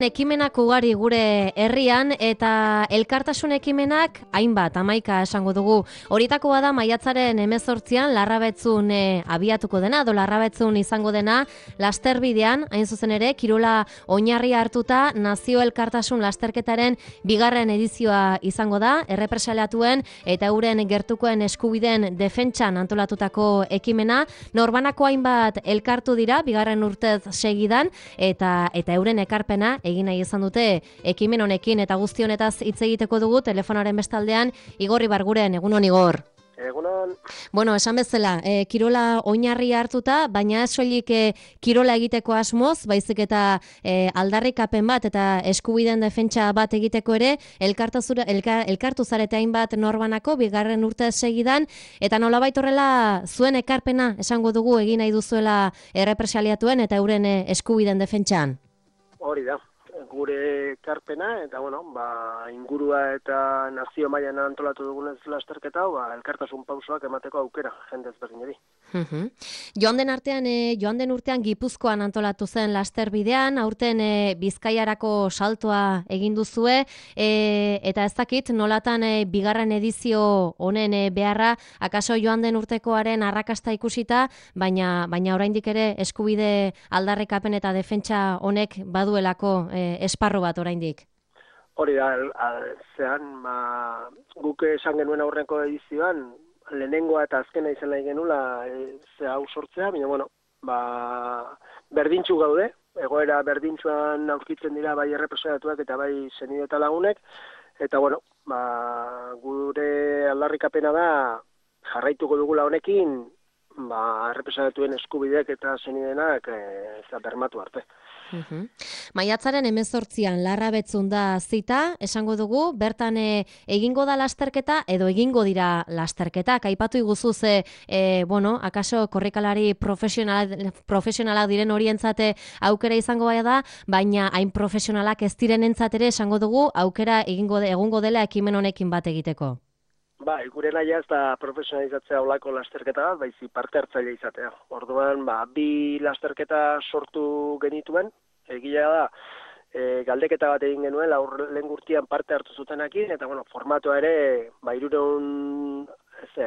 Ekimenak ugari gure herrian eta elkartasun ekimenak hainbat, 11 esango dugu. Horietako bada maiatzaren 18an Larrabetzun abiatuko dena, edo Larrabetzun izango dena lasterbidean, hain zuzen ere, kirola oinarri hartuta nazio elkartasun lasterketaren bigarren edizioa izango da, errepresaliatuen eta euren gertukoen eskubideen defentsan antolatutako ekimena. Norbanako hainbat elkartu dira, bigarren urtez segidan, eta euren ekarpena egin nahi izan dute ekimen honekin, eta guzti honetaz hitz egiteko dugu telefonaren bestaldean Igor Ibarguren. Egunon, Igor. Egunon. Bueno, esan bezala, kirola oinarri hartuta, baina ez soilik kirola egiteko asmoz, baizik eta aldarrikapen bat eta eskubideen defentsa bat egiteko ere, elkartu zarete hainbat norbanako, bigarren urte segidan, eta nolabait horrela zuen ekarpena esango dugu egin nahi duzuela errepresaliatuen eta euren eskubideen defentsan. Hori da, gure ekarpena, eta ingurua eta nazio mailan antolatu dugunez lasterketa, elkartasun pausoak emateko aukera, jende ezberdinari. Joan den urtean Gipuzkoan antolatu zen lasterbidean, aurten Bizkaiarako saltoa egin duzue, eta ez dakit nolatan bigarren edizio honen beharra, akaso joan den urtekoaren arrakasta ikusita, baina oraindik ere eskubide aldarrikapen eta defentsa honek baduelako esparru bat oraindik. Hori da, guk esan genuen aurreko edizioan, lehenengoa eta azkena izan nahi genula hau sortzea, baina berdintxu gaude, egoera berdintxuan aurkitzen dira bai errepresaliatuak eta bai senide eta lagunek, eta gure aldarrikapena da jarraituko dugula honekin, errepresaliatuen eskubideak eta senidenak bermatu arte. Maiatzaren 18an Larrabetzun da zita, esango dugu, bertan egingo da lasterketa edo egingo dira lasterketak. Aipatu iguzu akaso korrikalari profesionalak diren horientzate aukera izango baia da, baina hain profesionalak ez direnentzat ere esango dugu aukera egongo dela ekimen honekin bat egiteko. Gure naia ez da profesionalizatzea olako lasterketa bat, baizi parte hartzaile izatea. Orduan, bi lasterketa sortu genituen, egia da, galdeketa bat egin genuen, lehen gurtian parte hartu zutenekin, eta formatoa ere, 300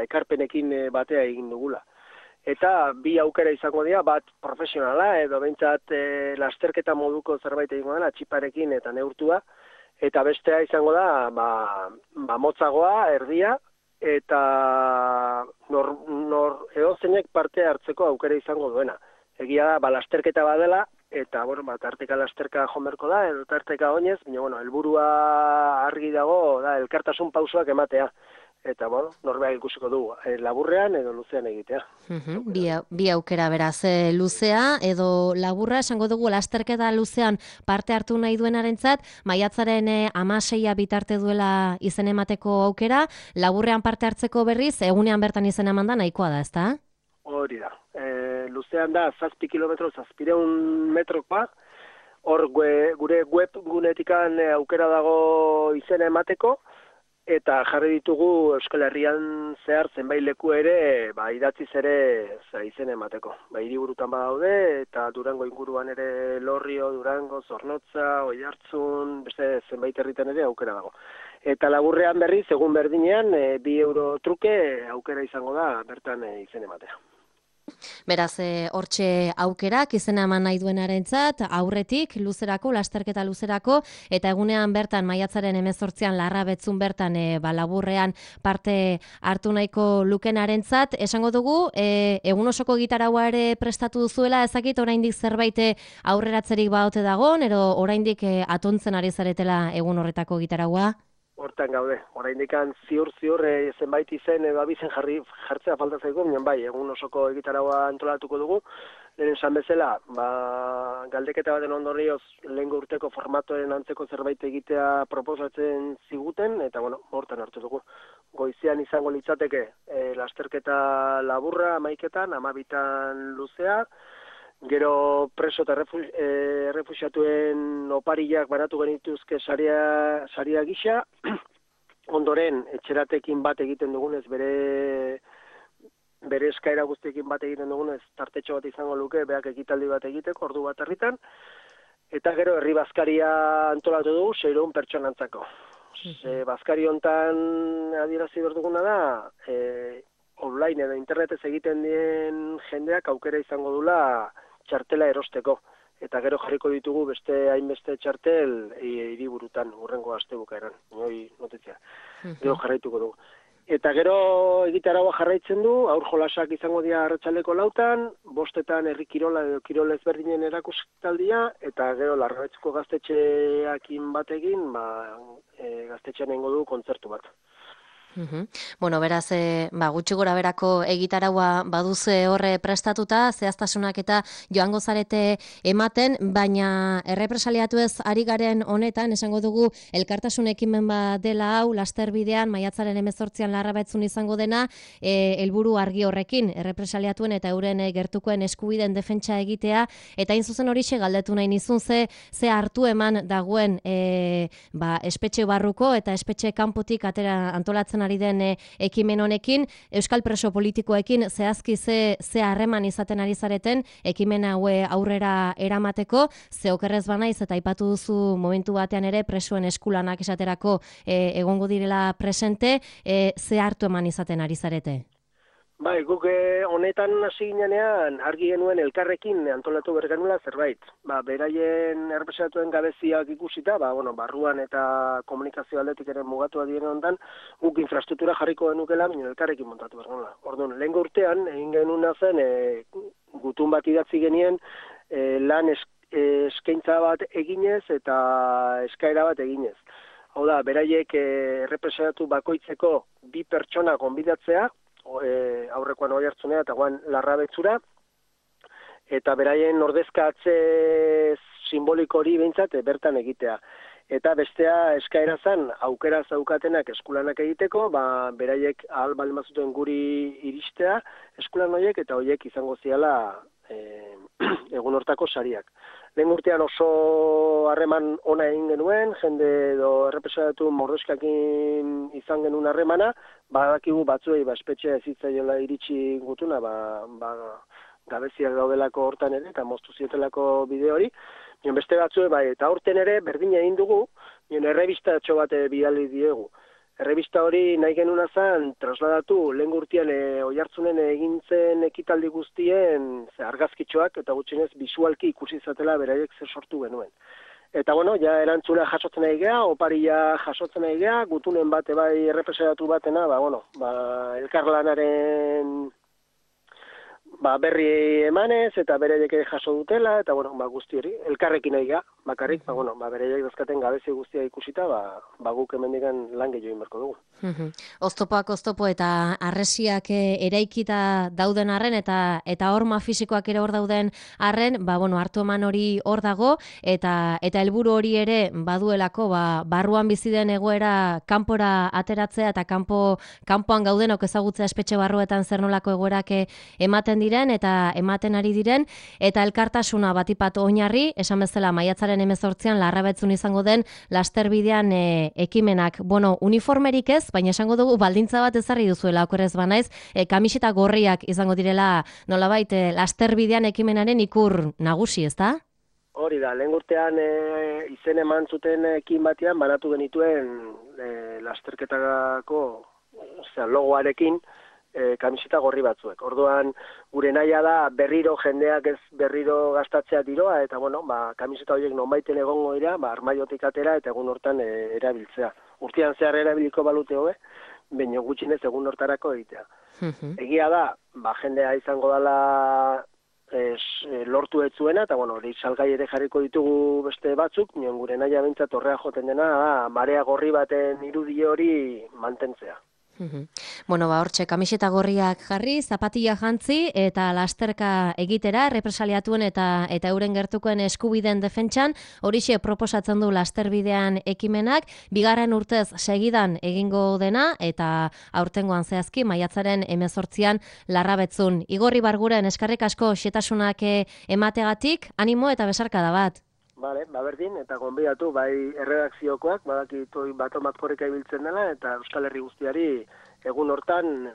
ekarpenekin batea egin dugula. Eta bi aukera izango dira, bat profesionala, edo behintzat lasterketa moduko zerbait egingo dena, txiparekin eta neurtua, eta bestea izango da, motzagoa, erdia, eta edozeinek parte hartzeko aukera izango duena. Egia da, lasterketa badela, eta, tarteka lasterka jomerko da, edo tarteka oinez, baina, helburua argi dago, da, elkartasun pausoak ematea. Eta, norbeak ikusiko dugu, laburrean edo luzean egitea. Bi aukera beraz, luzea edo laburra, esango dugu lasterketa luzean parte hartu nahi duenarentzat, maiatzaren 16a bitarte duela izen emateko aukera, laburrean parte hartzeko berriz, egunean bertan izen emanda nahikoa da, ezta? Hori da, luzean da 7 kilometro, 700 metrokoa, hor gure web gunetikan aukera dago izena emateko, eta jarri ditugu Euskal Herrian zehar zenbait leku ere, idatziz ere izen emateko. Hiriburutan badaude, eta Durango inguruan ere Lorrio, Durango, Zornotza, Oiartzun, beste zenbait herritan ere aukera dago. Eta laburrean berriz, egun berdinean, 2 euro truke aukera izango da bertan izen ematea. Beraz, hortxe aukerak izena eman nahi duenarentzat, aurretik, luzerako, lasterketa luzerako, eta egunean bertan, maiatzaren 18an Larrabetzun bertan, laburrean parte hartu nahiko lukenarentzat. Esango dugu, egun osoko gitaraua ere prestatu duzuela, ezakit oraindik zerbait aurreratzerik baote dagon, edo oraindik atontzen ari zaretela egun horretako gitaraua? Hortan gaude, oraindik ziur zenbait izen edo abizen jartzea falta zaigu, egun osoko egitaraua antolatuko dugu. Lehen esan bezala, galdeketa baten ondorioz lehengo urteko formatoen antzeko zerbait egitea proposatzen ziguten, eta hortan hartu dugu. Goizean izango litzateke lasterketa laburra 11etan, 12etan luzea, gero preso eta errefuxiatuen opariak banatu genituzke saria gisa, ondoren etxeratekin bat egiten dugunez, bere eskaera guztiekin bat egiten dugunez, tartetxo bat izango luke, beak ekitaldi bat egiteko, ordu bat herritan, Eta gero herri bazkaria antolatu dugu 600 pertsonantzako. Bazkari hontan adierazi behar duguna da, online edo internetez egiten dien jendeak aukera izango dula txartela erosteko. Eta gero jarriko ditugu beste hainbeste txartel hiriburutan hurrengo astebukaeran. Notitzia. Gero jarraituko dugu. Eta gero egitaragoa jarraitzen du, aur jolasak izango dira arratsaldeko 4:00, 5:00 herri kirola edo kirol ezberdinen erakustaldia, eta gero Larrabetzeko gaztetxeakin batekin, gaztetxean egingo du kontzertu bat. Bueno, beraz, gutxi gora berako egitaraua baduze horre prestatuta, zehaztasunak eta joango zarete ematen, baina errepresaliatu ez ari garen honetan, esango dugu, elkartasun ekimen bat dela hau, lasterbidean, maiatzaren 18an Larrabetzun izango dena, helburu argi horrekin, errepresaliatuen eta euren gertukoen eskubideen defentsa egitea, eta hain zuzen horixe galdetu nahi nizun ze hartu eman dagoen espetxe barruko eta espetxe kanpotik atera antolatzen ari den ekimen honekin, euskal preso politikoekin zehazki ze harreman izaten ari zareten ekimen haue aurrera eramateko, ze okerrez banaiz eta aipatu duzu momentu batean ere presoen eskulanak esaterako egongo direla presente, ze hartu eman izaten ari zarete? Bai, guk honetan hasi ginean argi genuen elkarrekin antolatu bergenula zerbait. Beraien errepresatuen gabeziak ikusita, barruan eta komunikazio aldetik ere mugatua diren ondan, guk infrastruktura jarriko genukela, baina elkarrekin montatu bergenula. Orduan, lehengo urtean, egin genuna zen, gutun bat idatzi genien, lan eskaintza bat eginez eta eskaera bat eginez. Hau da, beraiek errepresatu bakoitzeko 2 pertsona gonbidatzea, aurrekoan Oiartzunera eta guan Larrabetzura, eta beraien ordezkatze simboliko hori behintzat bertan egitea. Eta bestea eskaera zen aukera zaukatenak eskulanak egiteko, beraiek ahal baldin bazuten guri iristea eskulan horiek, eta horiek izango ziala egun hortako sariak. Lehen urtean oso harreman ona egin genuen, jende edo errepresatu mordoskakin izan genuen harremana, badakigu batzuei espetxea ezitzaiola iritsi gutuna, gabeziak daudelako hortan ere, eta moztu zietelako bideo hori. Beste batzuei eta aurten ere berdina egin dugu, errebistatxo bat bidali diegu. Errebista hori nahi genuna zen trasladatu lehen urtean Oiartzunen egintzen ekitaldi guztien argazkitxoak eta gutxienez bisualki ikusi izatela beraiek zer sortu genuen. Eta ja erantzuna jasotzen nahi geha, oparia jasotzen nahi geha, gutunen bate bai errepresentatu batena, elkarlanaren berri emanez eta beraiek jaso dutela, eta guzti hori, elkarrekin nahi geha, bakarrik, beraiek dazkaten gabezi guztia ikusita, guk hemendikan lan gehiago inberko dugu. Oztopoak oztopo eta arresiak eraikita dauden arren eta horma fisikoak ere hor dauden arren, hartu eman hori hor dago eta helburu hori ere baduelako barruan bizi den egoera kanpora ateratzea eta kanpoan gaudenok ezagutzea espetxe barruetan zer nolako egoerak ematen diren eta ematen ari diren, eta elkartasuna batipat oinarri, esan bezala maiatzaren 18an Larrabetzun izango den lasterbidean ekimenak. Uniformerik ez, baina esango dugu baldintza bat ezarri duzuela, okerrez banaiz, kamiseta gorriak izango direla nolabait lasterbidean ekimenaren ikur nagusi, ezta? Hori da, lehen urtean izen eman zuten ekin batean banatu genituen lasterketako logoarekin kamiseta gorri batzuek. Orduan, gure nahia da berriro jendeak ez berriro gastatzea diroa, eta kamiseta horiek nonbaiten egongo dira, armaiotik atera eta egun hortan erabiltzea. Urtean zehar erabiliko balute hobe, baina gutxinez egun hortarako egitea. Egia da, jendea izango dela lortu ez zuena, eta hori salgai ere jarriko ditugu beste batzuk, nion gure nahia bintzat horrea joten dena, marea gorri baten irudi hori mantentzea. Hortxe, kamiseta gorriak jarri, zapatilla jantzi eta lasterka egitera, represaliatuen eta euren gertukoen eskubideen defentsan, horixe proposatzen du lasterbidean ekimenak, bigarren urtez segidan egingo dena, eta aurtengoan zehazki, maiatzaren 18an Larrabetzun. Igorri Barguren, eskarrik asko xetasunak emategatik, animo eta besarkada bat. Berdin, eta gonbidatu, bai erredakziokoak, badakitoi batomak korrika ibiltzen dela, eta Euskal Herri guztiari egun hortan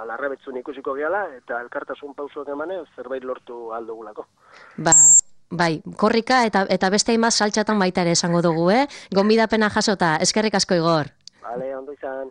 Larrabetzun ikusiko gehala, eta elkartasun pausuak emanez zerbait lortu aldugulako. Bai, korrika eta beste hainbat saltxatan baita ere esango dugu, Gonbidapena jasota, eskerrik asko Igor. Bale, ondo izan.